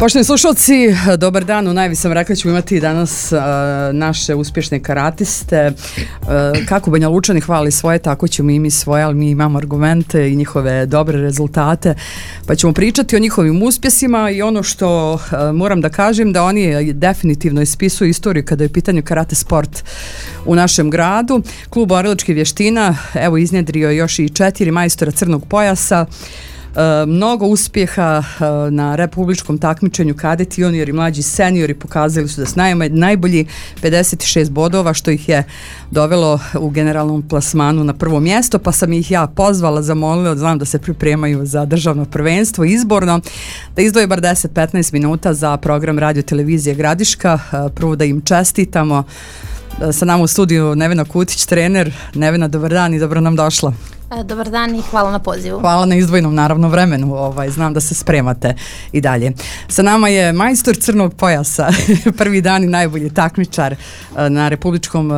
Poštovani slušalci, dobar dan. U najavi sam rekla ćemo imati danas naše uspješne karatiste. Kako Banja Lučani hvali svoje, tako ćemo i mi svoje, ali mi imamo argumente i njihove dobre rezultate. Pa ćemo pričati o njihovim uspjesima i ono što moram da kažem da oni definitivno ispisuju istoriju kada je u pitanju karate sport u našem gradu. Klub borilačkih vještina evo iznjedrio još i 4 majstora crnog pojasa. Mnogo uspjeha na republičkom takmičenju kadeti, juniori, mlađi, seniori pokazali su da su najbolji, 56 bodova što ih je dovelo u generalnom plasmanu na prvo mjesto, pa sam ih ja pozvala, zamolila, znam da se pripremaju za državno prvenstvo izborno, da izdvoje bar 10-15 minuta za program radio televizije Gradiška. Prvo da im čestitamo. Sa nama u studiju Nevena Kutić, trener. Nevena, dobar dan i dobro nam došla. Dobar dan i hvala na pozivu. Hvala na izdvojenom naravno vremenu, znam da se spremate i dalje. Sa nama je majstor crnog pojasa, prvi dan i najbolji takmičar na republičkom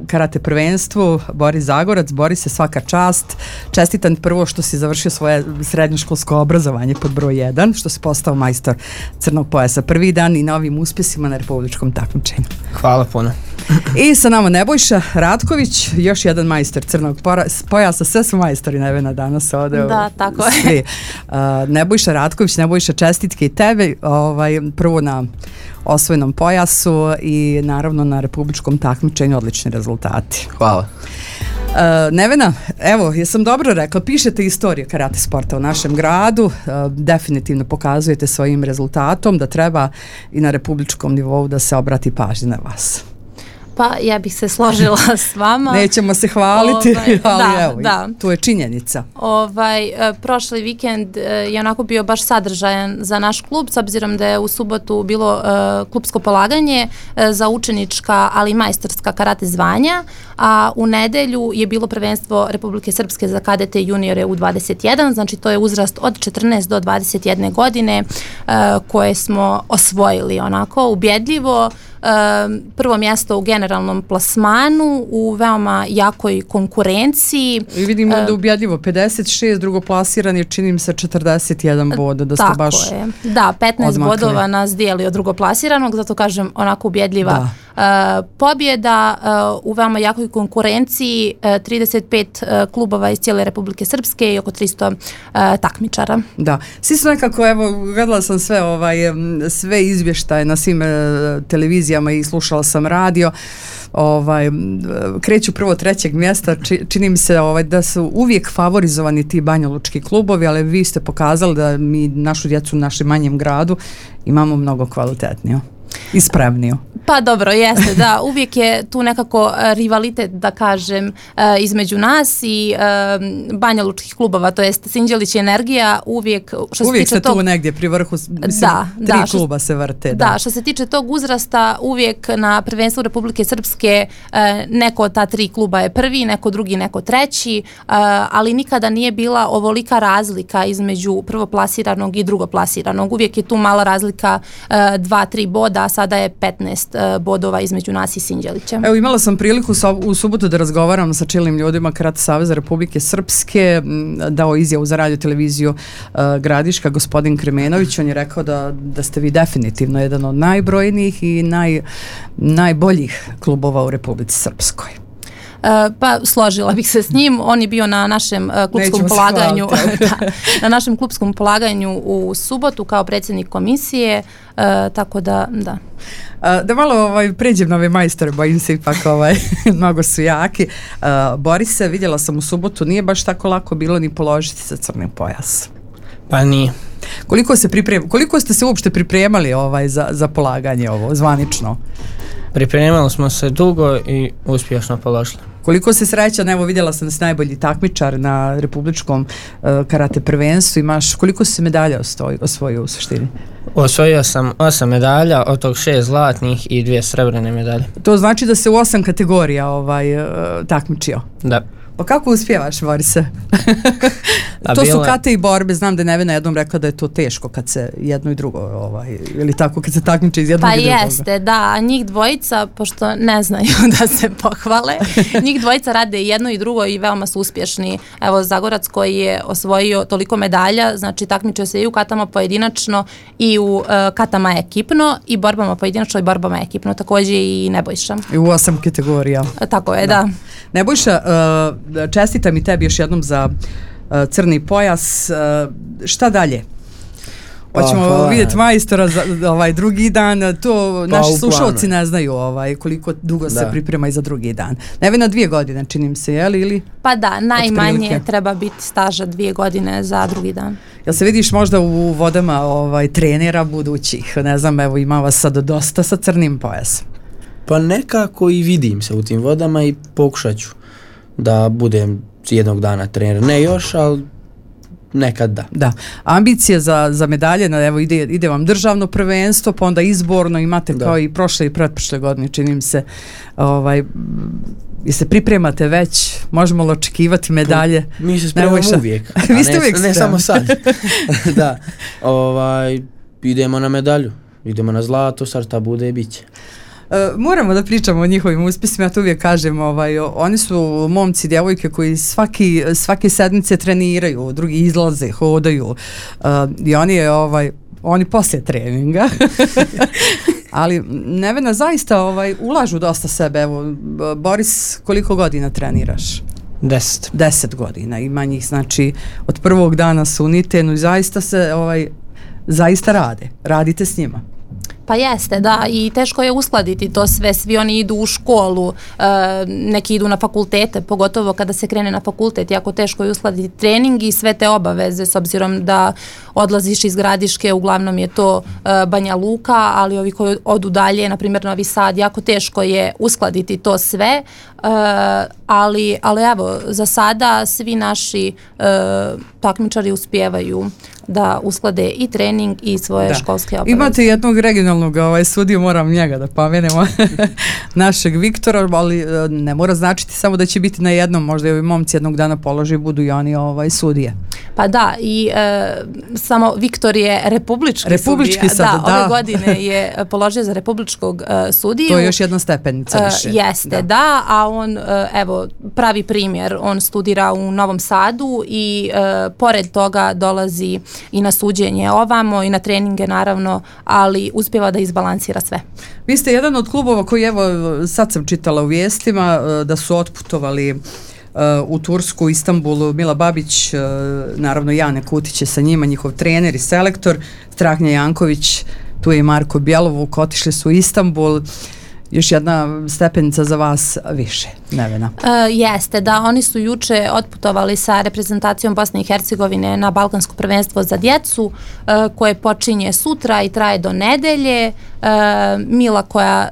karate prvenstvu, Boris Zagorac. Boris, se svaka čast. Čestitam prvo što si završio svoje srednjoškolsko obrazovanje pod broj 1, što si postao majstor crnog pojasa. Prvi dan i novim uspjesima na republičkom takmičenju. Hvala puno. I sa nama Nebojša Ratković, još jedan majstor crnog pojasa, sve su majstori Nevena danas ovdje. Da, tako je. Nebojša Ratković, Nebojša, čestitke i tebe, prvo na osvojenom pojasu i naravno na republičkom takmičenju, odlični rezultati. Hvala. Nevena, evo, jesam dobro rekla, pišete istoriju karate sporta u našem gradu, definitivno pokazujete svojim rezultatom da treba i na republičkom nivou da se obrati pažnja na vas. Pa ja bih se složila s vama. Nećemo se hvaliti, ali evo, da. Tu je činjenica. Prošli vikend je onako bio baš sadržajan za naš klub, s obzirom da je u subotu bilo klubsko polaganje za učenička, ali i majstorska karate zvanja, a u nedelju je bilo prvenstvo Republike Srpske za kadete i juniore u 21, znači to je uzrast od 14 do 21 godine koje smo osvojili onako ubjedljivo. Prvo mjesto u generalnom plasmanu, u veoma jakoj konkurenciji. I vidimo da ubjedljivo 56, drugo plasiran je čini mi se 41 boda, da ste baš je. Da, 15 odmakli. Bodova nas dijeli od drugoplasiranog, zato kažem onako ubjedljiva pobjeda u veoma jakoj konkurenciji, 35 klubova iz cijele Republike Srpske i oko 300 takmičara. Da, svi su nekako, evo, gledala sam sve izvještaje na svim televizijama i slušala sam radio, kreću prvo 3. mjesta, čini mi se da su uvijek favorizovani ti banjalučki klubovi, ali vi ste pokazali da mi našu djecu u našem manjem gradu imamo mnogo kvalitetniju i spremniju. Pa dobro, jeste, da, uvijek je tu nekako rivalitet, da kažem, između nas i banjalučkih klubova, to jest Sinđelić i Energija, uvijek što se uvijek tiče tu negdje pri vrhu, mislim, tri kluba se vrte. Da, što se tiče tog uzrasta, uvijek na prvenstvu Republike Srpske neko od ta 3 kluba je prvi, neko drugi, neko treći, ali nikada nije bila ovolika razlika između prvoplasiranog i drugoplasiranog. Uvijek je tu mala razlika 2-3 boda, a sada je 15 bodova između nas i Sinđelića. Evo, imala sam priliku u subotu da razgovaram sa čelnim ljudima Karate Saveza Republike Srpske, dao izjavu za radio televiziju Gradiška, gospodin Kremenović. On je rekao da ste vi definitivno jedan od najbrojnijih i najboljih klubova u Republici Srpskoj. Pa složila bih se s njim. On je bio na našem klubskom polaganju na našem klubskom polaganju u subotu kao predsjednik komisije, tako da. Da malo pređem na ove majstore, bojim se ipak mnogo su jaki. Borise, vidjela sam u subotu, nije baš tako lako bilo ni položiti za crni pojas. Pa nije. Koliko ste se uopšte pripremali za polaganje ovo, zvanično? Pripremali smo se dugo i uspješno položili. Koliko se srećan, evo vidjela sam da si najbolji takmičar na republičkom karate prvenstvu, koliko si medalja osvojio u suštini? Osvojio sam 8 medalja, od tog 6 zlatnih i 2 srebrene medalje. To znači da se u 8 kategorija takmičio? Da. Pa kako uspijevaš, Borise? To su kate i borbe, znam da je Nevena jednom rekla da je to teško kad se jedno i drugo, ili tako kad se takmiče iz jednog i drugog. Pa jeste, da, a njih dvojica, pošto ne znaju da se pohvale, njih dvojica rade jedno i drugo i veoma su uspješni. Evo, Zagorac koji je osvojio toliko medalja, znači takmiče se i u katama pojedinačno i u katama ekipno i borbama pojedinačno i borbama ekipno, također i Nebojša. I u 8 kategorija. Tako je, da. Nebojša, čestitam i tebi još jednom za crni pojas. Šta dalje? Hoćemo vidjeti majstora za drugi dan. To naši slušalci ne znaju koliko dugo se priprema i za drugi dan. Nevena 2 godine, čini mi se, ili? Pa da, najmanje treba biti staža 2 godine za drugi dan. Jel se vidiš možda u vodama trenera budućih? Ne znam, evo ima vas sad dosta sa crnim pojasom. Pa nekako i vidim se u tim vodama i pokušat ću da budem jednog dana trener. Ne još, ali nekad da. Da. Ambicije za medalje, evo ide vam državno prvenstvo, pa onda izborno imate kao i prošle i pretprošle godine, čini mi se. I se pripremate već, možemo li očekivati medalje? Mi se spremamo uvijek. Vi ste uvijek ne samo sad. Da. Idemo na medalju. Idemo na zlato, sad šta bude i bit će. Moramo da pričamo o njihovim uspjesima, ja to uvijek kažem, oni su momci, djevojke koji svake sedmice treniraju, drugi izlaze, hodaju i oni poslije treninga. Ali Nevena, zaista ulažu dosta sebe. Evo, Boris, koliko godina treniraš? 10 godina. Ima njih, znači, od prvog dana su u Nitenu i zaista radite s njima. Pa jeste, da, i teško je uskladiti to sve, svi oni idu u školu, neki idu na fakultete, pogotovo kada se krene na fakultet, jako teško je uskladiti trening i sve te obaveze, s obzirom da odlaziš iz Gradiške, uglavnom je to Banja Luka, ali ovi koji odu dalje, na primjer Novi Sad, jako teško je uskladiti to sve, ali evo, za sada svi naši takmičari uspijevaju da usklade i trening i svoje školske obaveze. Imate jednog regionalnog sudiju, moram njega da pomenemo, našeg Viktora, ali ne mora značiti samo da će biti na jednom, možda i ovi momci jednog dana polože i budu i oni sudije. Pa da, i samo Viktor je republički sudija. Ove godine je položio za republičkog sudiju. To je još jedna stepenica više. Jeste, da, a on, evo, pravi primjer, on studira u Novom Sadu i pored toga dolazi i na suđenje ovamo i na treninge naravno, ali uspjeva da izbalansira sve. Vi ste jedan od klubova koji, evo, sad sam čitala u vijestima da su otputovali u Tursku, Istanbulu, Mila Babić, naravno Jane Kutić je sa njima, njihov trener i selektor, Strahnja Janković, tu je i Marko Bjelovuk, otišli su u Istanbul. Još jedna stepenica za vas više, Nevena. Jeste, da, oni su juče otputovali sa reprezentacijom Bosne i Hercegovine na Balkansko prvenstvo za djecu, koje počinje sutra i traje do nedelje. Mila koja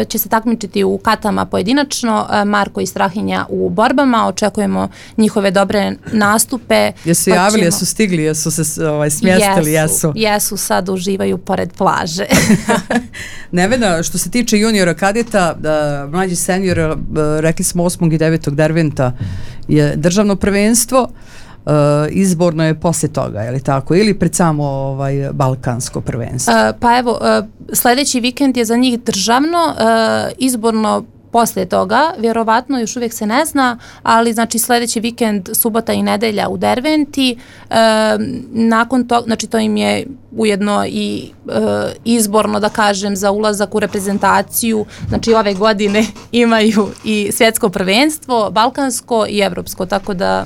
će se takmičiti u katama pojedinačno, Marko i Strahinja u borbama, očekujemo njihove dobre nastupe. Jesu javili, jesu stigli, jesu se smjestili? Jesu, sad uživaju pored plaže. Nevena, što se tiče juniora kadeta, mlađi senior, rekli smo 8. i 9. Derventa je državno prvenstvo, izborno je poslije toga, je li tako? Ili pred samo balkansko prvenstvo? Pa evo, sljedeći vikend je za njih državno, izborno poslije toga, vjerovatno još uvijek se ne zna, ali znači sljedeći vikend, subota i nedelja u Derventi, nakon toga, znači to im je ujedno i izborno, da kažem, za ulazak u reprezentaciju, znači ove godine imaju i svjetsko prvenstvo, balkansko i evropsko, tako da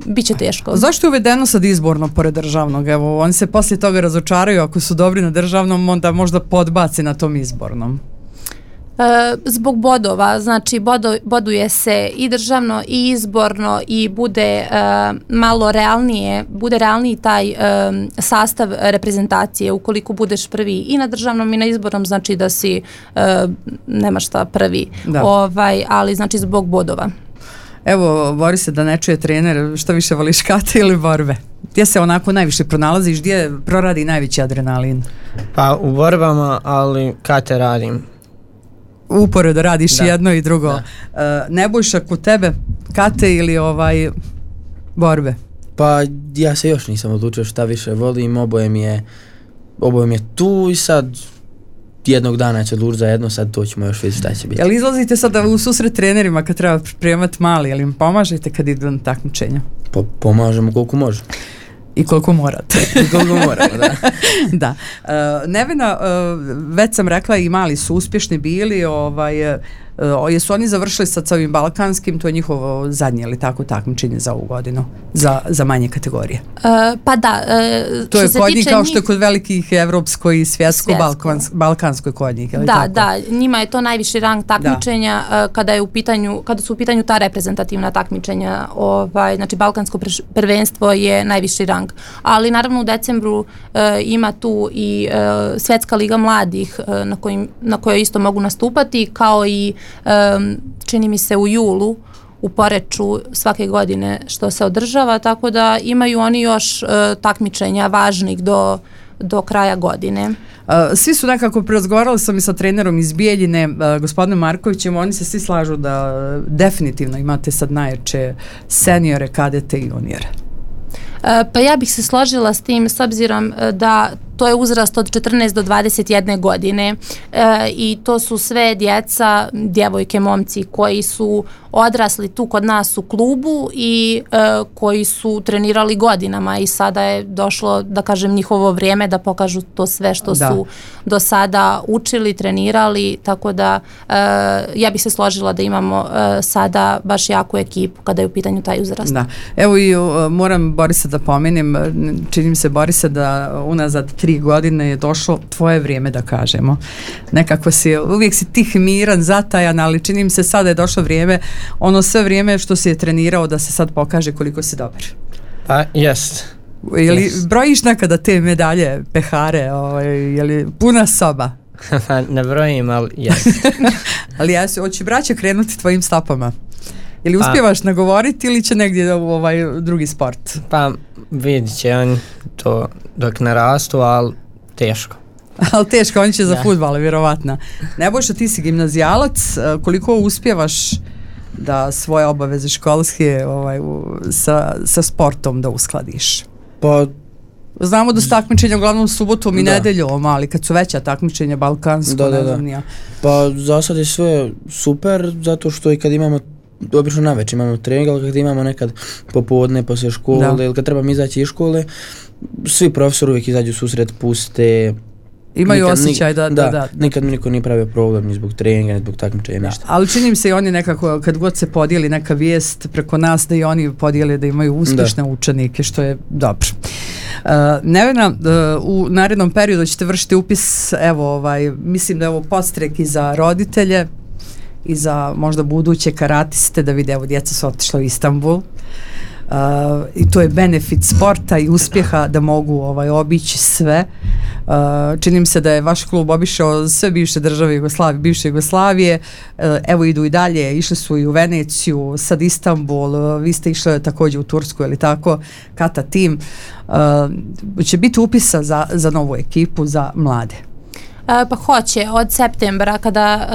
bit će teško. Zašto je uvedeno sad izborno pored državnog? Evo, oni se poslije toga razočaraju, ako su dobri na državnom, onda možda podbaci na tom izbornom. Zbog bodova, znači boduje se i državno i izborno i bude malo realniji taj sastav reprezentacije. Ukoliko budeš prvi i na državnom i na izbornom, znači da si nema šta prvi, ali znači zbog bodova. Evo, bori se da ne čuje trener, što više voliš, kate ili borbe? Gdje se onako najviše pronalaziš, gdje proradi najveći adrenalin? Pa u borbama, ali kate radim. uporedo radiš jedno i drugo. Nebojša, kod tebe kate ili borbe? Pa ja se još nisam odlučio šta više volim, oboje mi je tu i sad jednog dana će odlučiti za jedno, sad to ćemo još vidjeti šta će biti. Jel izlazite sada u susret trenerima kad treba pripremati mali, jel im pomažete kad idu na takmičenja? Pomažemo koliko možemo. I koliko morate. I koliko moramo, da. Da. Nevena, već sam rekla i mali su uspješni bili, jesu oni završili sad sa ovim balkanskim, to je njihovo zadnje ili tako takmičenje za ovu godinu, za manje kategorije? Pa da. To je kod njih kao što je kod velikih evropsko i svjetsko. Balkansko je kod njih, ili tako? Da, njima je to najviši rang takmičenja kada su u pitanju ta reprezentativna takmičenja, znači balkansko prvenstvo je najviši rang, ali naravno u decembru ima tu i Svjetska liga mladih na kojoj isto mogu nastupati, kao i čini mi se u julu u Poreču svake godine što se održava, tako da imaju oni još takmičenja važnih do kraja godine. Svi su nekako razgovarali sam i sa trenerom iz Bijeljine, gospodinom Markovićem, oni se svi slažu da definitivno imate sad najjače seniore, kadete i juniore. Pa ja bih se složila s tim s obzirom da to je uzrast od 14 do 21 godine i to su sve djeca, djevojke, momci koji su odrasli tu kod nas u klubu i koji su trenirali godinama i sada je došlo, da kažem, njihovo vrijeme da pokažu to sve što su do sada učili, trenirali, tako da ja bih se složila da imamo sada baš jaku ekipu kada je u pitanju taj uzrast. Da. Evo i moram Borisa da pomenem, čini mi se Borisa da unazad 3 godine je došlo tvoje vrijeme, da kažemo. Nekako uvijek si tih, miran, zatajan, ali čini mi se sada je došlo vrijeme, ono sve vrijeme što si je trenirao da se sad pokaže koliko si dobar. Pa, jest. Jeli brojiš nekada te medalje, pehare, je li puna soba? Ne brojim, ali jest. Ali hoće braća krenuti tvojim stopama? Ili uspijevaš nagovoriti ili će negdje u drugi sport? Pa vidit će on to dok narastu, ali teško. Ali teško, on će za fudbal, vjerovatno. Nebojša, ti si gimnazijalac, koliko uspijevaš da svoje obaveze školske sa sportom da uskladiš? Pa znamo da su takmičenja uglavnom subotom i nedeljom, ali kad su veća takmičenja balkansko, ne znam nija. Pa za sad je sve super, zato što i kad imamo obično navečer imamo trening, ali kad imamo nekad popodne poslije škole ili kad trebamo izaći iz škole, svi profesori uvijek izađu susret, puste. Imaju osjećaj da. Nikad mi niko nije pravio problem ni zbog treninga, ni zbog takmičenja, ništa. Ali čini mi se i oni nekako, kad god se podijeli neka vijest preko nas, da i oni podijele da imaju uspješne učenike, što je dobro. Nevena, u narednom periodu ćete vršiti upis, mislim da je ovo podstrek i za roditelje i za možda buduće karatiste, da vide, evo djeca su otišla u Istanbul. I to je benefit sporta i uspjeha da mogu obići sve. Čini mi se da je vaš klub obišao sve bivše države bivše Jugoslavije, evo idu i dalje, išli su i u Veneciju, sad Istanbul, vi ste išli također u Tursku, ili tako, Kata tim. Će biti upisa za novu ekipu, za mlade? Pa hoće, od septembra kada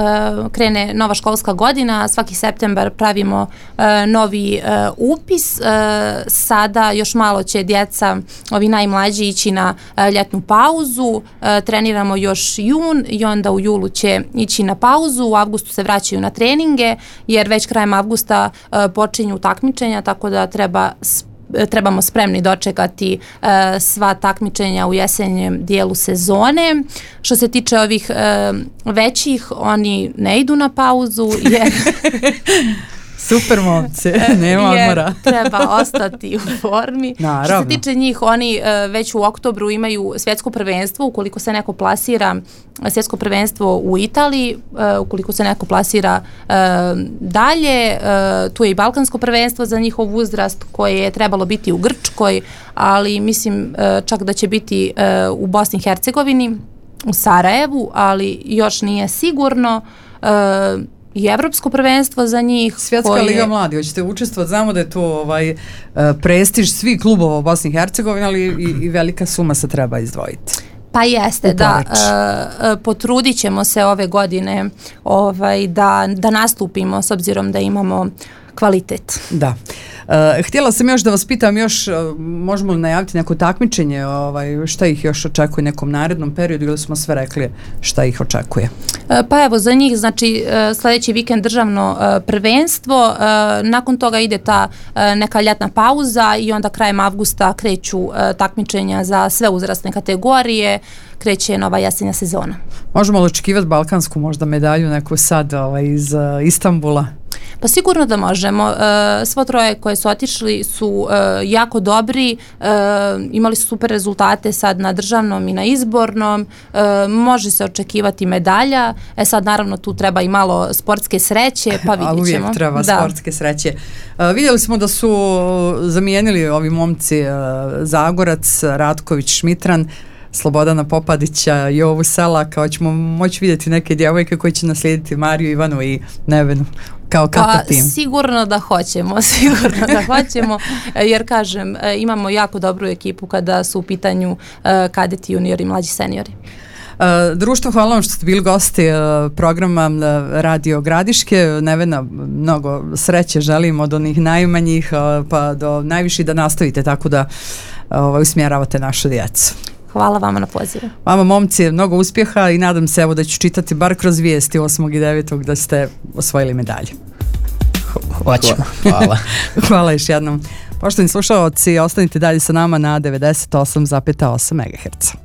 krene nova školska godina, svaki septembar pravimo novi upis. Sada još malo će djeca, ovi najmlađi, ići na ljetnu pauzu, treniramo još jun i onda u julu će ići na pauzu, u avgustu se vraćaju na treninge jer već krajem avgusta počinju takmičenja, tako da trebamo spremni dočekati sva takmičenja u jesenjem dijelu sezone. Što se tiče ovih većih, oni ne idu na pauzu jer super momci, nema odmora. Treba ostati u formi. Naravno. Što se tiče njih, oni već u oktobru imaju svjetsko prvenstvo, ukoliko se neko plasira, svjetsko prvenstvo u Italiji, ukoliko se neko plasira dalje, tu je i balkansko prvenstvo za njihov uzrast koje je trebalo biti u Grčkoj, ali mislim čak da će biti u Bosni i Hercegovini, u Sarajevu, ali još nije sigurno. I evropsko prvenstvo za njih. Svjetska liga mladi, hoćete učestvovati, znamo da je to prestiž svih klubova u Bosni i Hercegovini, ali i velika suma se treba izdvojiti. Pa jeste, da. Potrudit ćemo se ove godine da nastupimo s obzirom da imamo kvalitet. Da. Htjela sam još da vas pitam možemo li najaviti neko takmičenje, šta ih još očekuje u nekom narednom periodu ili smo sve rekli šta ih očekuje? Pa evo, za njih znači sljedeći vikend državno prvenstvo, nakon toga ide ta neka ljetna pauza i onda krajem avgusta kreću takmičenja za sve uzrasne kategorije, kreće nova jesenja sezona. Možemo li očekivati balkansku možda medalju neku sad iz Istanbula? Pa sigurno da možemo. Svo troje koje su otišli su jako dobri, imali su super rezultate sad na državnom i na izbornom, može se očekivati medalja, sad naravno tu treba i malo sportske sreće, pa vidjet ćemo. Uvijek treba sportske sreće. Vidjeli smo da su zamijenili ovi momci Zagorac, Ratković, Šmitran, Slobodana Popadića, Jovu Selaka, hoćemo moći vidjeti neke djevojke koje će naslijediti Mariju, Ivanu i Nevenu kao kata tim. Sigurno da hoćemo, jer kažem, imamo jako dobru ekipu kada su u pitanju kadeti, juniori i mlađi seniori. Društvo, hvala vam što ste bili gosti programa Radio Gradiške. Nevena, mnogo sreće želim od onih najmanjih pa do najviših da nastavite tako da usmjeravate našu djecu. Hvala vama na pozivu. Vama momci, mnogo uspjeha i nadam se da ću čitati bar kroz vijesti 8. i 9. da ste osvojili medalje. Hvala. Hvala još jednom. Poštovani slušalci, ostanite dalje sa nama na 98,8 MHz.